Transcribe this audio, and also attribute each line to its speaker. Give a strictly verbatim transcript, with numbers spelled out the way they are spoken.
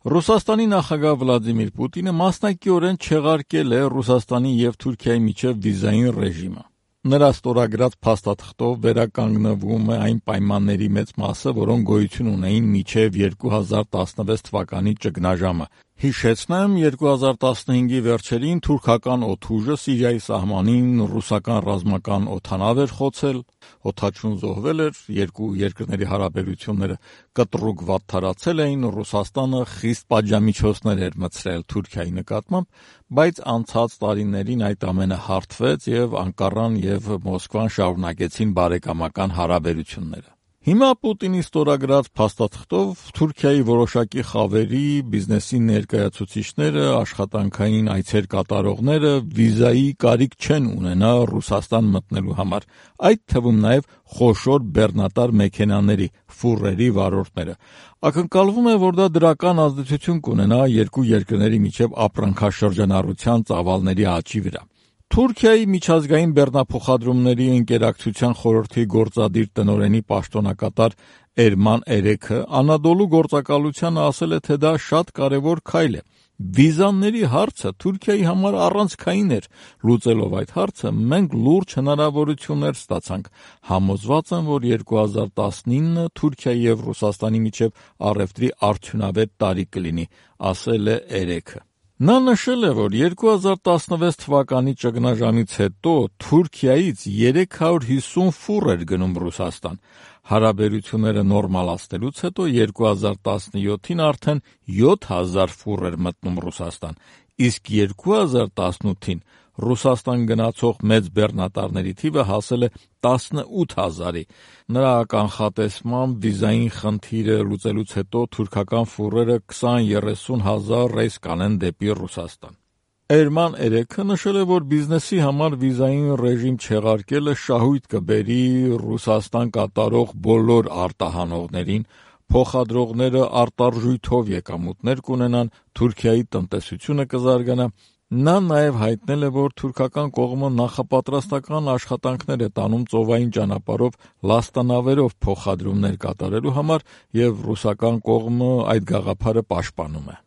Speaker 1: Ռուսաստանի նախագահ Վլադիմիր Պուտինը մասնակիորեն չեղարկել է Ռուսաստանի եւ Թուրքիայի միջև վիզային ռեժիմը։ Նրա ստորագրած փաստաթղթով վերականգնվում է այն պայմանների մեծ մասը, որոնք գոյություն ունեին մինչև երկու հազար տասնվեց թվականի ճգնաժամը։ Հիշեցնեմ, երկու հազար տասնհինգի վերջերին թուրքական օդուժը Սիրիայի սահմանին ռուսական ռազմական օդանավ էր խոցել, օդաչուն զոհվել էր, երկու երկրների հարաբերությունները կտրուկ վատթարացել էին, Ռուսաստանը խիստ պատժամիջոցներ էր մտցրել Թուրքիայի նկատմամբ, բայց անցած տարիներին այդ ամենը հարթվեց եւ Անկարան եւ Մոսկվան շարունակեցին բարեկամական հարաբերությունները։ Հիմա Պուտինի ստորագրած փաստաթղթով Թուրքիայի որոշակի խավերի, բիզնեսի ներկայացուցիչները, աշխատանքային այցեր կատարողները վիզայի կարիք չեն ունենա Ռուսաստան մտնելու համար, այդ թվում նաև խոշոր բեռնատար մեքենաների, ֆուրերի վարորդները։ Ակնկալվում է, որ դա դրական ազդեցություն կունենա երկու երկրների միջև ապրանքաշրջանառության ծավալների աճի վրա։ Թուրքիայի միջազգային բեռնափոխադրումների ընկերակցության խորհրդի գործադիր տնօրենի պաշտոնակատար Էրման Էրեքը Անադոլու գործակալությանը ասել է, թե դա շատ կարևոր քայլ է։ Վիզաների հարցը Թուրքիայի համար առանցքային էր։ Լուծելով այդ հարցը մենք լուրջ հնարավորություններ ստացանք։ Համոզված եմ, որ երկու հազար տասնինը Թուրքիայի եւ Ռուսաստանի միջև առևտրի արդյունավետ տարի կլինի, ասել է Էրեքը։ Նա նշել է, որ երկու հազար տասնվեց թվականի ճգնաժամից հետո Թուրքիայից երեք հարյուր հիսուն ֆուր էր գնում Ռուսաստան։ Հարաբերությունները նորմալացնելուց հետո երկու հազար տասնյոթին արդեն յոթ հազար ֆուր էր մտնում Ռուսաստան, իսկ երկու հազար տասնութին Ռուսաստան գնացող մեծ բեռնատարների թիվը հասել է տասնութ հազարի։ Նրա կանխատեսմամբ վիզային խնդիրը լուծելուց հետո թուրքական ֆուրերը քսան-երեսուն հազար ռեյս կանեն դեպի Ռուսաստան։ Էրման Էրեքը նշել է, որ բիզնեսի համար վիզային ռեժիմ չեղարկելը շահույթ կբերի Ռուսաստան կատարող բոլոր արտահանողներին, փոխադրողները արտարժույթով եկամուտներ կունենան, Թուրքիայի տնտեսությունը կզարգանա։ Նա նաև հայտնել է, որ թուրքական կողմը նախապատրաստական աշխատանքներ է տանում ծովային ճանապարհով լաստանավերով փոխադրումներ կատարելու համար եւ ռուսական կողմը այդ գաղափարը պաշտպանում է։